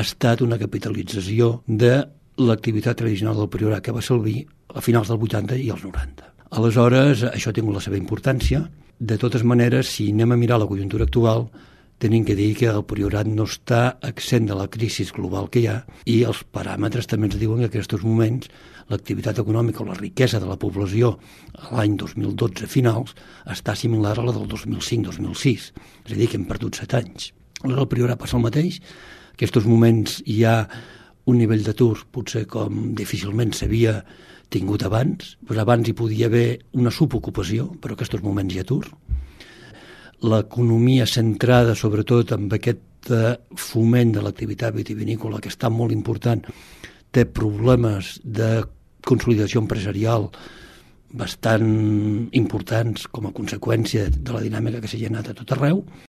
estat una capitalització de l'activitat tradicional del Priorat que va servir a finals del 80 i als 90. Aleshores, això ha tingut la seva importància. De totes maneres, si anem a mirar la conjuntura actual, tenim que dir que el Priorat no està exempt de la crisi global que hi ha i els paràmetres també ens diuen que en aquests moments l'activitat econòmica o la riquesa de la població a l'any 2012 finals està similar a la del 2005-2006, és a dir, que hem perdut 7 anys. Aleshores, el Priorat passa el mateix. En aquests moments hi ha un nivell d'atur potser com difícilment s'havia tingut abans. Pues abans hi podia haver una subocupació, però en aquests moments hi ha atur. L'economia centrada sobretot en aquest foment de l'activitat vitivinícola, que està molt important, té problemes de consolidació empresarial bastant importants com a conseqüència de la dinàmica que s'ha generat a tot arreu.